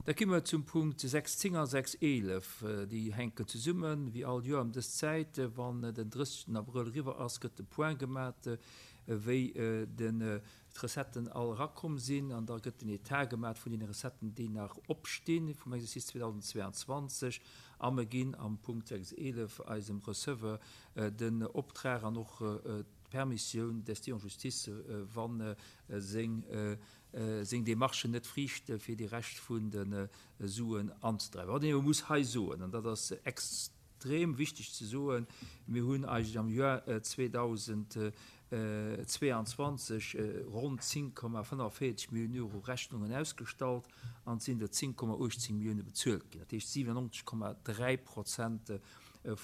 Da gi mer zum Punkt 6, 10 a 6, 11. Déi hänken zesummen. Wéi all Joer ëm dës Zäit, wann den 30 Abrëll eriwwer ass, gëtt de Point gemat, wéi den d'Recetten all erakomm sinn. An da gëtt den Etat gemat vun deene Recetten, déi nach opstinn vum Exercice 2022. A mer ginn am Punkt 6, 11 eisem Receveur den Optrag an och d'Permissioun d'ester en justice, wa seng seng Demarchen net friichte fir déi Rescht vun de Suen anzedreiwen. Wat een elo muss hei soen, an dat ass extrem wichteg ze soen, Mir hunn eigentlech am Joer 2022 ronn 10,45 Milliounen Euro Rechnungen ausgestallt an et sinn der 10,18 Millioune bezuelt ginn. Dat heescht 97,3 Prozent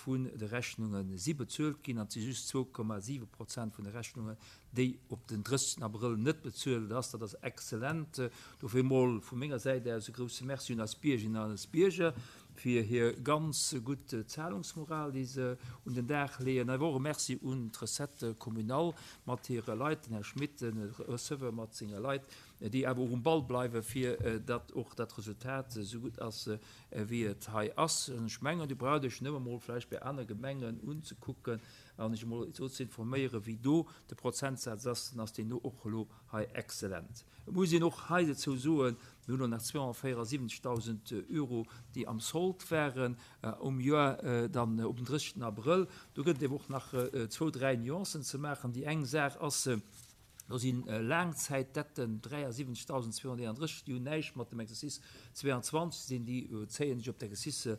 vun de Rechnunge si bezuelt ginn an et si just 2,7 Prozent vun de Rechnungen, déi op den 30 Abrëll net bezuelt ass. Dat ass exzellent. Dofir emol vu menger Säit aus e grouse Merci un eis Biergerinnen an eis Bierger fir hir ganz gutt Zahlungsmoral, déi se un den Dag leeën. Awer och e Merci un d'Recette communale mat hire Leit, den Här Schmit, de Receveur mat senge Leit, déi awer och um Ball bleiwen, fir datt och dat Resultat esou gutt ass, wéi et hei ass. An ech mengen, Dir braucht Iech nëmme mol vläicht bei aner Gemengen unzekucken an Iech emol esou ze informéieren, wéi do de Prozentsaz ass, dann ass deen do och elo hei exzellent. Et muss een och hei dozou soen, mir hunn elo nach 274.000 Euro, déi am Sold waren um Joer dann op den 30 Abrëll. Do gëtt et awer och nach zwou, dräi Nuancen ze maachen. Déi eng Saach ass, Do si Laangzäitdetten, 73.231, déi hunn näischt mat dem Exercice 22 ze dinn, déi zéien sech op d'Exercicë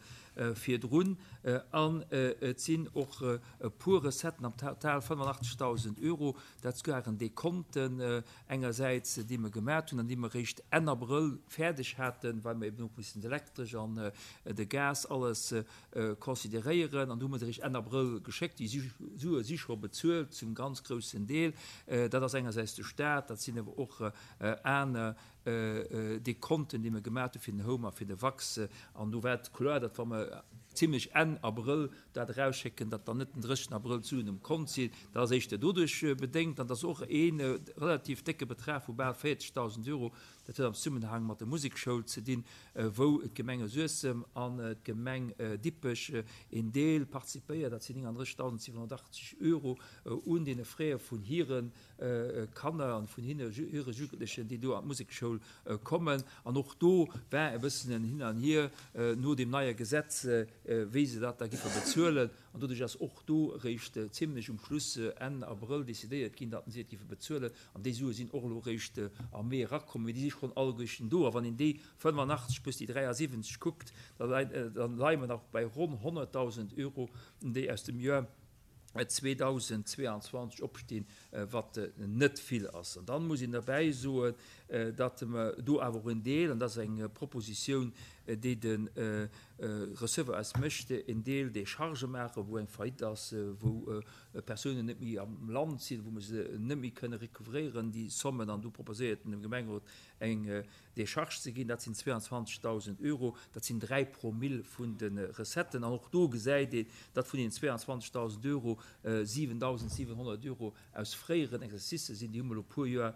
virdrun. An et sinn och e puer Recetten am Total 85.000 Euro. Dat waren Dekonten engersäits, déi mer gemat hunn an déi mer eréischt Enn Abrëll fäerdeg haten, well mer eben och missen d'Elektresch an de Gas alles consideréieren, an do hu mer se eréischt Enn Abrëll geschéckt. Déi Sue si scho bezuelt zum ganz groussen Deel. Dat ass engersäits de Stat, dat sinn awer och aner Dekonten, déi mer gemaat hu fir den Home a fir de Wax. An do war et kloer, datt wa mer zimlech Enn Abrëll dat erausschécken, datt dann net den 30 Abrëll d'Suen um Kont sinn. Dat ass éischter doduerch bedéngt, an et ass och ee relativ décke Betrag vu bal 40.000 Euro, Dat huet am Zesummenhang mat der Musekschoul ze dinn, wou d'Gemenge Suessem an d'Gemeng Dippech een Deel participéiert, dat sinn 39.780 Euro, un deene Frais vun hire Kanner an vun hire Jugendlechen, déi do an d'Musekschoul kommen. An och do war e bëssen en Hin an Hier no deem neie Gesetz, wéi se dat da giffe bezuelen. An doduerch ass och do eréischt zimlech um Schluss, Enn Abrëll, decidéiert ginn, datt si et giffe bezuelen. An déi Sue sinn och elo eréischt am Mee erakomm, mee déi si schonn alleguerten do. A wann een déi 85 plus déi 73 kuckt, da leie mer nach bei ronn 100.000 Euro, déi aus dem Joer 2022 opstinn, wat net vill ass. An dann muss een derbäi soen, datt mer do awer och en Deel, an dat ass eng Propositioun, déi de Receveur eis mécht, en Deel Déchargë maachen, wou eng Faillite ass, wou Persounen net méi am Land sinn, wou mer se net méi kënne recouvréieren, déi Sommen, an do proposéiert en dem Gemengerot eng Décharge ze ginn, dat sinn 22.000 Euro, dat sinn 3 Promille vun de Recetten. An och do gesäit een, datt vun deenen 22.000 Euro 7.700 Euro aus fréieren Exercicë sinn, déi hu mer elo e puer Joer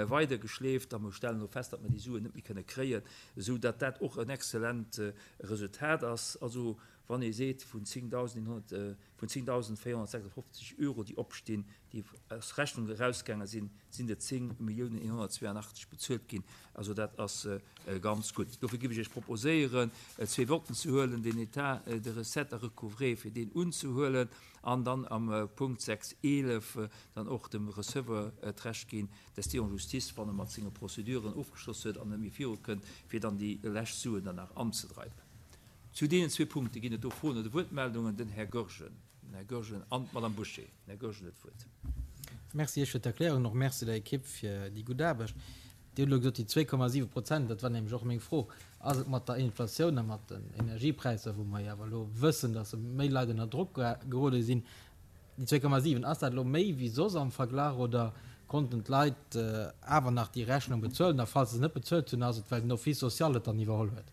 weidergeschleeft a mer stellen elo fest, datt mer déi Suen net méi kënne kréien, esou datt dat och en exzellent Resultat ass. Also wann ee seet, vun 10.100, vun 10.456 Euro, déi opstinn, déi aus Rechnung erausgaange sinn, sinn der 10.182 bezuelt ginn. Also dat ass ganz gutt. Dofir géif ech Iech proposéieren, zwee Votten ze huelen, den État de recettes à recouvrer, fir deen unzehuelen, an dann am Punkt 6.11 dann och dem Receveur d'Recht ginn, d'Esti en justice, wann e mat senge Prozeduren ofgeschloss huet an net méi virukënnt, fir dann déi lescht Suen dann nach anzedreiwen. Zu deenen zwee Punkte ginn et do Froen oder Wuertmeldungen. Den Här Goergen, den Här Goergen an d'Madame Bouché. Den Här Goergen huet d'Wuert. Merci Iech fir d'Erklärung an och Merci der Ekipp fir déi gutt Aarbecht. Dir hutt elo gesot, déi 2,7 Prozent, dat war nämlech och meng Fro, ass et mat der Inflatioun a mat den Energiepräisser, wou mer jo awer elo wëssen, datt méi Leit ënner Drock gerode sinn, Déi 2,7, ass dat elo méi wéi soss am Verglach oder konnten d'Leit awer nach déi Rechnung bezuelen? A falls se se net bezuelt hunn, ass et well den Office social et dann iwwerholl huet?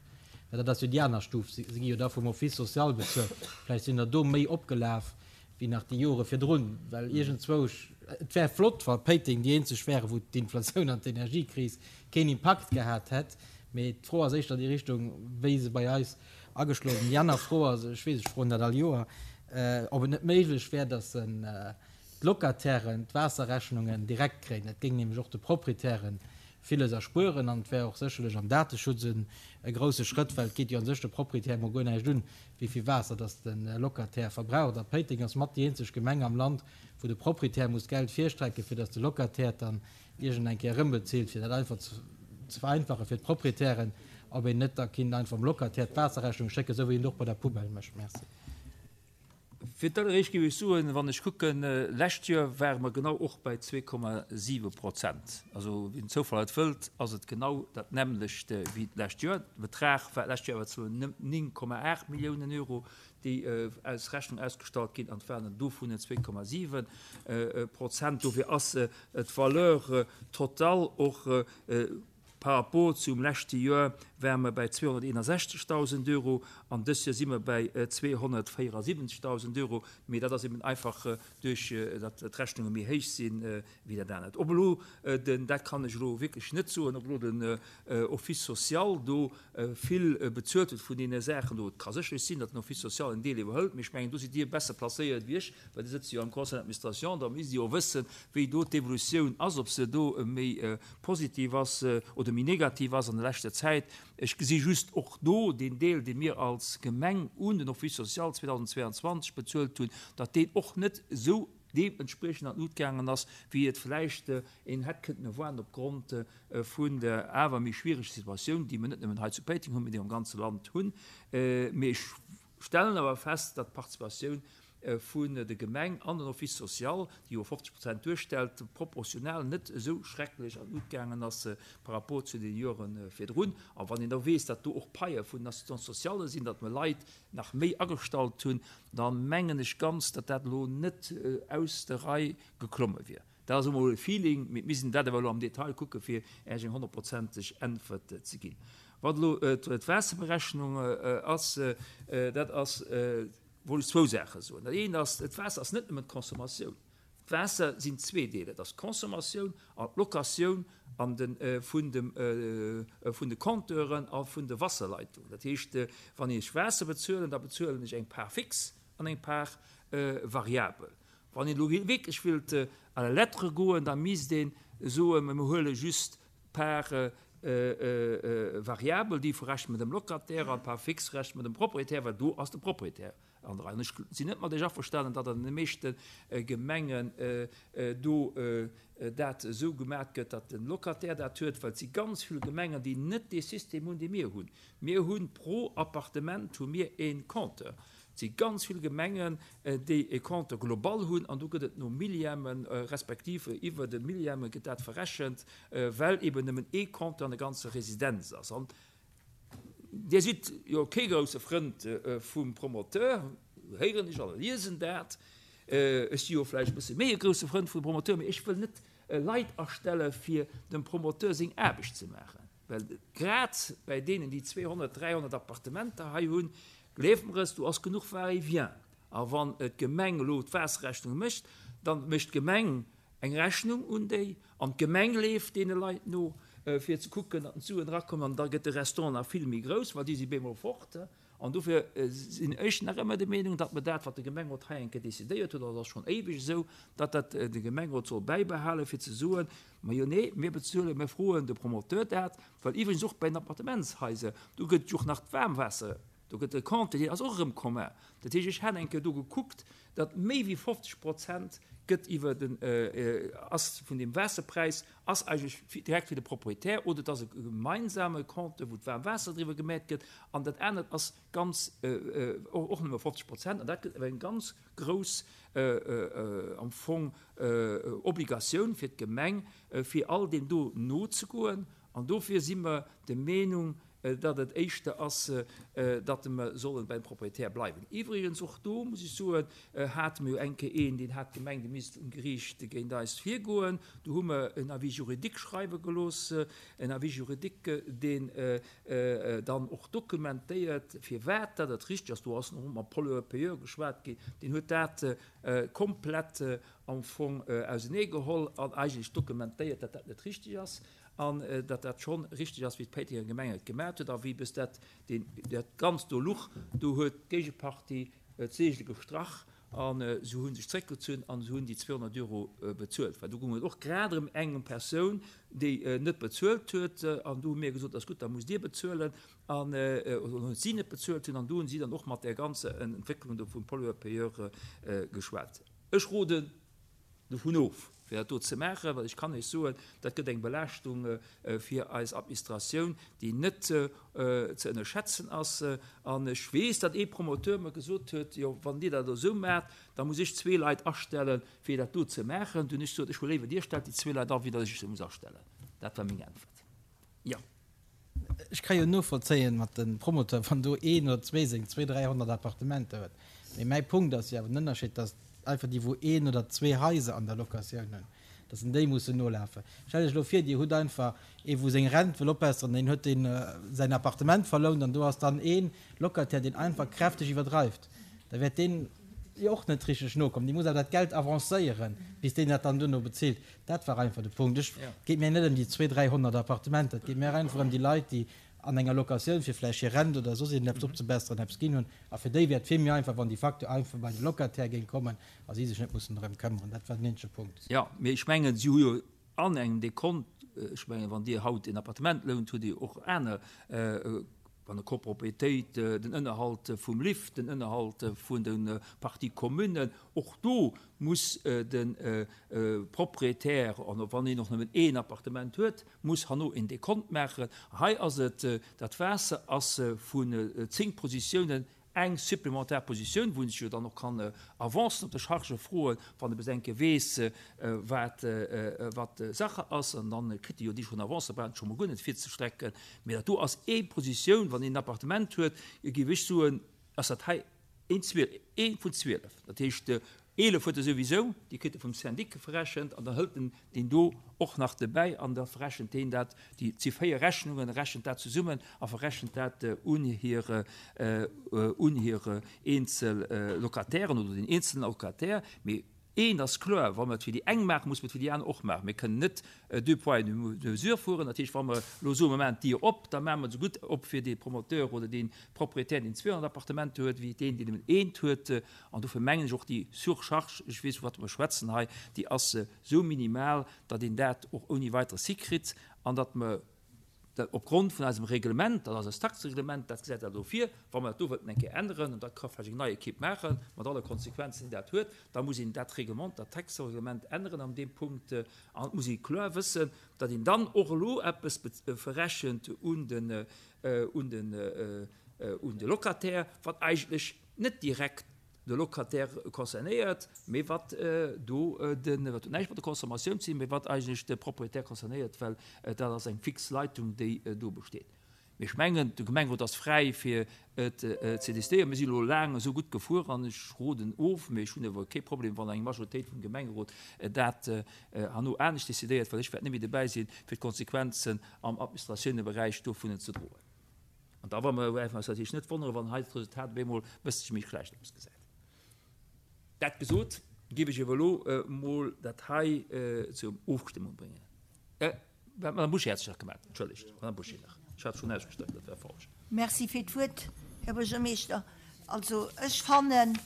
Well dat ass jo déi aner Stuf, se gi jo da vum Office social bezuelt. Vläicht sinn der do méi opgelaf wéi nach déi Jore virdrun, well iergendzwousch, et wär flott, wa Péiteng déi eenzeg wäre wou d'Inflatioun an d'Energiekris keen Impakt gehat hätt. Mee d'Fro ass éischter déi Richtung, wéi se bei eis ageschloen sinn. Déi aner Fro ass, ech weess, ech froen dat all Joer, ob et net méiglech wär, datt d'Locatairen d'Waasserrechnungen direkt kréien. Dat géing nämlech och de Proprietären villes erspueren an et wär och sécherlech am Dateschutz e grousse Schrëtt, well et geet jo a sech de Proprietär emol guer näischt un, wéi vill Waasser datt de Locataire verbraucht. A Péiteng ass mat déi eenzeg Gemeng am Land, wou de Proprietär muss Geld virstrecken, fir datt de Locataire dann iergend eng Kéier erëmbezilt, fir dat einfach ze vereinfachen fir d'Proprietären, ob een net da kinnt einfach dem Locataire d'Waasserrechnung schécken, esou wéi een et och bei der Poubelle mécht. Merci. Fir d'alleréischt géif ech soen, wann ech kucken, lescht Joer ware mer genau och bei 2,7 Prozent. Also wéi den Zoufall et wëllt, ass et genau dat nämmlecht wéi d'lescht Joer. De Betrag war d'lescht Joer awer zwar 9,8 Milliounen Euro, déi als Rechnung ausgestallt ginn, an et waren der dovun 2,7 Prozent. Dofir ass d'Valeur totale och par rapport zum leschte Joer ware mer bäi 261.000 Euro an dës Joer si mer bäi 274.000 Euro. Mee dat ass eben einfach duerch datt d'Rechnunge méi héich sinn wéi dat anert. Ob elo den, dat kann ech elo wierklech net soen, ob elo den Office social do vill bezuelt huet vun deene Saachen do. Et ka sécherlech sinn, datt den Office social en Deel iwwerhëlt, mee ech mengen, do sidd Dir besser placéiert wéi ech, well Dir sëtzt jo am Conseil d'administration, da misst Dir jo wëssen, wéi do d'Evolutioun ass, ob se do méi positiv ass oder méi negativ ass an der leschter Zäit. Ech gesi just och do deen Deel, dee mir als Gemeng un den Office social 2022 bezuelt hunn, datt deen och net esou deementspriechend an d'Lut gaangen ass, wéi et vläicht een hätt kënnten erwaarden opgrond vun der awer méi schwiereger Situatioun, déi mir net nëmmen hei zu Péiteng hunn, mee déi mir am ganze Land hunn. Mee ech stellen awer fest, datt d'Participatioun vun der Gemeng an den Office social, déi jo 50 Prozent duerstellt, proportional net esou schrecklech an d'Lut gaangen ass par rapport zu den Jore virdrun. A wann een da weess, datt do och Paie vun den Assistants sociales sinn, datt mer Leit nach méi agestallt hunn, da mengen ech ganz, datt dat elo net aus der Rei geklomme wier. Dat ass emol e Feeling, mee mir missten dat awer elo am Detail kucke fir Iech eng honnertprozenteg Äntwert ze ginn. Wat elo d'Waasserberechnung ass, dat ass, wollt ech zwou Saache soen. Dat eent ass, d'Waasser ass net nëmmen d'Consommatioun. D'Waasser sinn zwee Deeler, et ass d'Consommatioun an d'Locatioun an de vun dem vun de Compteuren a vun de Wasserleitungen. Dat heescht, wann ech Waasser bezuelen, da bezuelen ech eng Part fixe an eng Part variabel. Wann een elo wierklech wëllt à la lettre goen, da misst ee soen, mer huele just d'Part variabel, déi verrechne mer dem Locataire, an d'Part fixe verrechne mer dem Propriétaire, well do ass de Propriétaire an der Rei. An ech sinn net mat Iech averstanen, datt an de meeschte Gemengen do dat esou gemat gëtt, datt de Locataire dat huet, well et si ganz vill Gemengen, déi net dee System hunn, dee mir hunn. Mir hu pro Appartement hu mir ee Compteur. Et si ganz vill Gemengen, déi e Compteur global hunn an do gëtt et no Millièmen, respektiv iwwer de Millième gëtt dat verrechent, well eben nëmmen ee Compteur an der ganzer Residenz ass. An Dir sidd jo kee grousse Frënd vum Promoteur, héieren ech a liesen dat. Ech si jo vläicht e bësse méi e grousse Frënd vum Promoteur, mee ech wëll net Leit astelle fir dem Promoteur seng Aarbecht ze maachen. Well grad bäi deenen, déi 200, 300 Appartementer hei hunn, gleeft mer es, do ass genuch Va-et-vient. A wann d'Gemeng elo d'Waasserrechnung mécht, da mécht d'Gemeng eng Rechnung un déi, an d'Gemeng leeft deene Leit no, fir ze kucken, datt d'Suen erakommen, an da gëtt de Restant nach vill méi grouss, well déi si bemol fort. An dofir sinn ech nach ëmmer der Meenung, datt mer dat, wat de Gemengerot hei eng Kéier decidéiert huet, an dat ass schonn éiweg esou, datt dat de Gemengerot soll bäibehalen, fir ze soen, Majo nee, mir bezuelen, mir froen de Promoteur dat, well iwwregens och bei den Appartementshaiser, do gëtt et jo och nach d'Waarmwaasser, do gëtt e Compte, deen ass och erëm commun. Dat heescht, ech hat eng Kéier do gekuckt, datt méi wéi 50 Prozent gëtt iwwer den, ass vun deem Waasserpräis ass eigentlech direkt fir de Proprietär oder et ass e gemeinsame Compte, wou d'Waarmwaasser driwwer gemat gëtt an dat anert ass ganz och nëmme 50 Prozent an dat gëtt awer eng ganz grouss am Fong Obligatioun fir d'Gemeng, fir all deem do nozegoen an dofir si mer der Meenung, datt et éischter ass, datt mer sollen beim Proprietär bleiwen. Iwwregens, och do muss ech soen, hate mer jo eng Kéier een, deen hat gemengt, e misst um Geriicht géint eis virgoen. Do hu mer en Avis juridique schreiwe gelooss, en Avis juridique, deen dann och dokumentéiert, firwat datt et richteg ass. Do ass och mam Pollueur-payeur geschwat ginn, deen huet dat komplett am Fong auseneegeholl an eigentlech dokumentéiert, datt dat net richteg ass. an datt dat schonn richteg ass, wéi d'Péitenger Gemeng et gemat huet a wéi bis dat deen dat Ganzt do luch. Do huet d'Géigepartie d'Seegele gestrach a se hu sech zréckgezunn a se hunn déi 200 Euro bezuelt. Well do goung et och grad erëm eng Persoun, déi net bezuelt huet an do hu mir gesot, ass gutt, da musst Dir bezuelen an oder hunn si net bezuelt hunn an do hunn si dann och mat där ganzer Entwécklung do vum Pollueur-payeur geschwat. Ech roden dovun of, fir dat do ze maachen, well ech kann Iech soen, dat gëtt eng Belaaschtung fir eis Administratioun, déi net ze ënnerschätzen ass. An ech weess, datt ee Promoteur mer gesot huet, Jo, wann Dir dat esou maacht, da muss ech zwee Leit astellen, fir dat do ze maachen. Du hunn ech gesot, Ech hu léiwer, Dir stellt déi zwee Leit an, wéi datt ech se muss astellen. Dat war meng Äntwert. Jo. Ech ka jo novollzéien mat de Promoteur, wann do een oder zwee seng zwee, 300 Appartementer huet. Mee mäi Punkt ass jo awer den Ënnerscheed, datt einfach déi, wou een oder zwee Haiser an der Locatioun hunn, datt en déi mussen nolafen. Stellt Iech elo vir, Dir hutt einfach ee wou seng Rent wëll opbesseren, deen huet deen säin Appartement verlount an do ass dann ee Locataire, deen einfach kräfteg iwwerdreift. Da wäert deen jo och net richteg nokommen. Dee muss awer dat Geld avancéieren, bis deen dat dann duerno bezilt. Dat war einfach de Punkt. Ech, et geet mir net ëm déi 200, 300 Appartementer, et geet mir einfach ëm déi Leit, déi an enger Locatioun fir vläicht hir Rent oder soss iergendeppes opzebesseren, eppes ginn hunn. A fir déi wär et vill méi einfach, wann déi Facture einfach bei de Locataire géing kommen a si sech net mussen drëm këmmeren. Dat war den eenzege Punkt. Jo, mee ech mengen, si hu jo an engem Dekont, ech mengen, wann Dir haut en Appartement lount, hutt Dir och aner, an der Copropriétéit, den Ënnerhalt vum Lift, den Ënnerhalt vun de Parties communes, och do muss de Propriétaire, an och wann een och nëmmen een Appartement huet, muss herno een Dekont maachen. Hei ass et, dat Waasser ass vun 10 Positiounen eng supplementar Positioun, wou een sech jo dann och kann Avancen op de Chargë froen, wann e bis eng Kéier weess, wat wat Sache ass, an dann kritt e jo déi schonn Avance, da brauch en scho mol guer net virzestrecken. Mee dat do ass ee Positioun, wann een en Appartement huet, géif ech soen, ass dat hei een 12, ee vun 12. Dat heescht, 11 huet e souwisou, déi kritt e vum Syndic verrechent, an dann hëlt en deen do och nach dobäi an da verrechent deen dat, déi si véier Rechnungen, rechent dat zesummen a verrechent dat un hir, un hir eenzel Locatairen oder deen eenzelen Locataire. Mee eent ass kloer, Wa mer et fir déi eng maachen, muss mer et fir déi aner och maachen. Mir kënnen net deux poids et deux mesures fueren. Dat heescht, wa mer elo soen, mer maachen d'Dier op, da maache mer se gutt op fir dee Promoteur oder dee Proprietär, deen 200 Appartementer huet, wéi deen, deen nëmmen eent huet. An dofir mengen ech och, déi Surcharge, ech weess, vu wat mer schwätzen hei, déi ass esou minimal, datt een dat och ouni Weiteres hikritt an datt mer dat opgrond vun eisem Reglement, dat ass eist Taxereglement, dat gesäit dat elo vir, wa mer dat do wëllten eng Kéier änneren, an dat ka vläicht eng nei Equipe maachen, mat alle Konsequenzen, déi dat huet, da muss een dat Reglement, dat Taxereglement änneren an deem Punkt. An et muss ee kloer wëssen, datt een dann och elo eppes verrechent un den, un den, un de Locataire, wat eigentlech net direkt de Locataire concernéiert, mee wat do den, wat huet näischt mat der Consommatioun ze dinn, mee wat eigentlech de Propriétaire concernéiert, well dat ass eng fix Leitung, déi do besteet. Mee ech mengen, de Gemengerot ass fräi fir et ze décidéieren. Mir sinn elo laang esou gutt gefuer an ech roden of, mee ech hunn awer kee Problem, wann eng Majoritéit vum Gemengerot dat herno anescht décidéiert, well ech wäert net méi dobäi sinn, fir d'Konsequenzen am Administratiouneberäich dovun ze droen. An da wa mer wäerten eis natierlech net wonneren, wann hei d'Resultat op eemol e bësselche méi schlecht ausgesäit. Dat gesot, géif ech awer elo emol dat hei zur Ofstëmmung bréngen. D'Madame Bouché hat sech nach gemellt. Entschëllegt, Madame Bouché nach. Ech hat schonn ausgestreckt, dat war falsch. Merci fir d'Wuert, Här Buergermeeschter. Also ech fannen,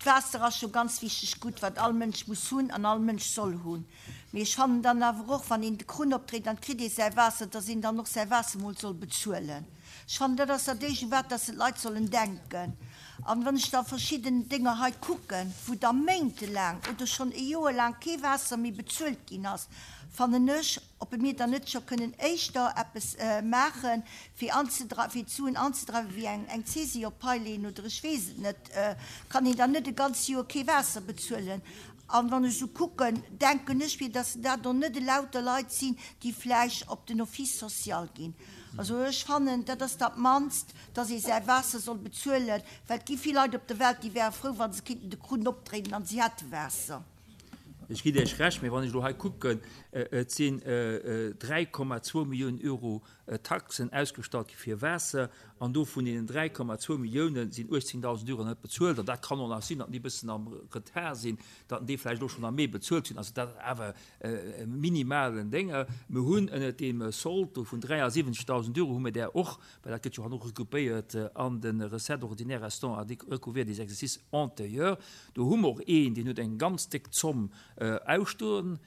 d'Waasser ass scho ganz wichteg Gutt, wat all Mënsch muss hunn an all Mënsch soll hunn. Mee ech fannen dann awer och, wann een de Krunn opdréit an et kritt ee säi Waasser, dass een dann och säi Waasser mol soll bezuelen. Ech fannen, dat ass dat Éischt, u wat dass d'Leit sollen denken. An wann ech da verschidden Dénger hei kucken, wou da méintelaang oder schonn e Joer laang kee Waasser méi bezuelt ginn ass, fannen ech, ob mir dann net scho kënnen éischter eppes maachen, fir anzedreiwen, fir d'Suen anzedreiwen, wéi eng eng Saisie op d'Pai leeën oder ech weess et net, kann een dann net e ganzt Joer kee Waasser bezuelen. An wann ech esou kucken, denken ech mir, dass dat och net elauter Leit sinn, déi vläicht op den Office social ginn. Also ech fannen, dat ass dat mannst, dass ee säi Waasser soll bezuelen, well et gi vill Leit op der Welt, déi wäre frou, wa se kéinten de Krunn opdréinen an si hätte Waasser. Ech ginn Iech Recht, mee wann ech elo hei kucken, et sinn 3,2 Milliounen Euro. Taxen ausgestallt gi fir Waasser an do vun deenen 3,2 Millioune sinn 18.000 Euro net bezuelt. An dat kann och nach sinn, datt déi e bëssen am Retard sinn, datt déi vläicht och schonn am Mee bezuelt hunn. Also dat ass awer e minimalen Dénger. Mir hunn ënnert deem Sold do vun 73.000 Euro hu mir där och, well dat gëtt jo hanno regroupéiert an de Recettes ordinaires restant à recouvrir des exercices antérieurs, do hu mer och een, deen huet eng ganz déck Zomm ausstoen.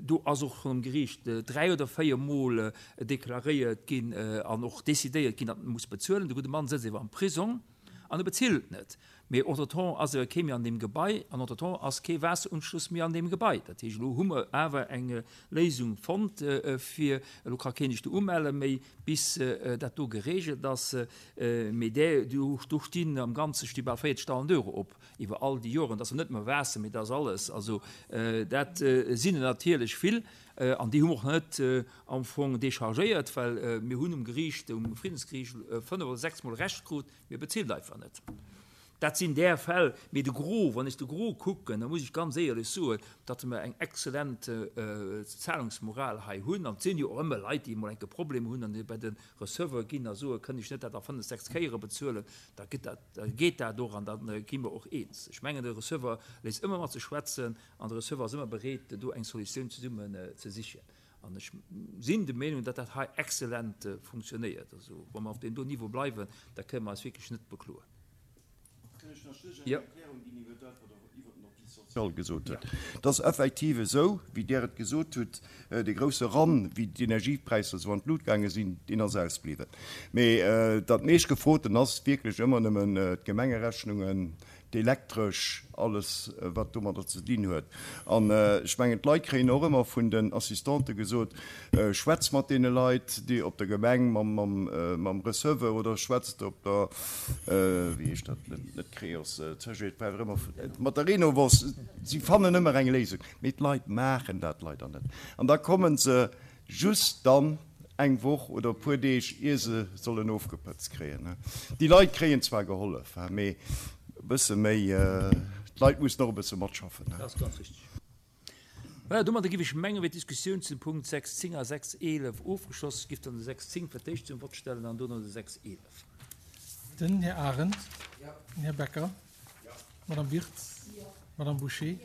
Do ass och schonn um Geriicht 3 oder 4 Mol deklaréiert ginn an och decidéiert ginn, datt en muss bezuelen. De gudde Mann sëtzt ewer am Prisong an e bezilt net. Mee entretemps ass ewer kee méi an deem Gebai an entretemps ass kee Waasserunschluss méi an deem Gebai. Dat heescht, elo hu mer awer eng Léisung fonnt fir, elo ka keen sech do umelle méi, bis dat do geregelt ass. Mee där, do stinn am Ganze sti bal 40.000 Euro op. Iwwer all déi Joren, dat ass jo net nëmme Waasser, mee dat ass alles. Also dat sinn der natierlech vill an déi hu mer och net am Fong déchargéiert, well mir hunn um Geriicht, um Friddensgeriicht fënnef oder sechsmol Recht krut, mee bezilt einfach net. Dat sinn där Fäll. Mee de Gros, wann ech de Gros kucken, da muss ech ganz éierlech soen, datt mer eng exzellent Zahlungsmoral hei hunn. An et sinn jo och ëmmer Leit, déi emol enke Problem hunn an déi bei de Receveur ginn a soen, kënn ech net dat a fënnef, sechs Kéiere bezuelen, da gëtt dat, da geet dat och an da gi mer och eens. Ech mengen, de Receveur léisst ëmmer mat sech schwätzen an de Receveur ass ëmmer bereet, do eng Solutioun zesummen ze sichen. An ech sinn der Meenung, datt dat hei exzellent funktionéiert. Also, wa mer op deem do Niveau bleiwen, da kënnen mer eis wierklech net bekloen. Kënn ech nach just eng Erklärung ginn iwwer dat, wat Der iwwer den Office social gesot hutt? Et ass effektiv esou, wéi Der et gesot hutt, dee grouse Run, wéi d'Energiepräisser esou an d'Lut gaange sinn, deen ass ausbliwwen. Mee dat meeschtgefroten ass wierklech ëmmer nëmmen d'Gemengerechnungen, d'Elektresch, alles wat domadder ze dinn huet. An ech mengen, d'Leit kréien och ëmmer vun den Assistante gesot, Schwätz mat deene Leit, déi op der Gemeng mam Receveur oder schwätzt op der, wéi heescht dat, net Creos, mat der Renovos. Si fannen ëmmer eng Léisung. Mee d'Leit maachen dat leider net. An da komme se just dann eng Woch oder e puer Deeg, ier se sollen ofgepëtzt kréien. Déi Leit kréien zwar gehollef, mee e bësse méi, d'Leit mussen och e bësse matschaffen. Dat ass ganz richtig. Voilà, domadder giff ech mengen, wier d'Diskussioun zum Punkt 6, 10 a 6, 11 ofgeschloss. Ech giff dann de 6, 10 fir d'éischt zum Vott stellen an dono de 6, 11. Den Här Arendt. Den Här Becker. D'Madame Wirtz. D'Madame Bouché.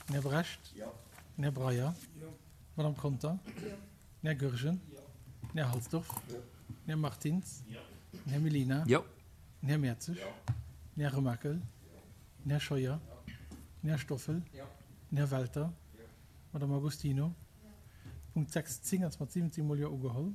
Den Här Brecht. Den Här Breyer. D'Madame Conter. Den Här Goergen. Den Här Halsdorf. Den Här Martins. Den Här Mellina. Den Här Mertzig. Den Här Remakel. Den Här Scheuer. Den Här Stoffel. Den Här Welter. D'Madame Agostino. Punkt 6, 10 ass mat 17 mol Jo ugeholl.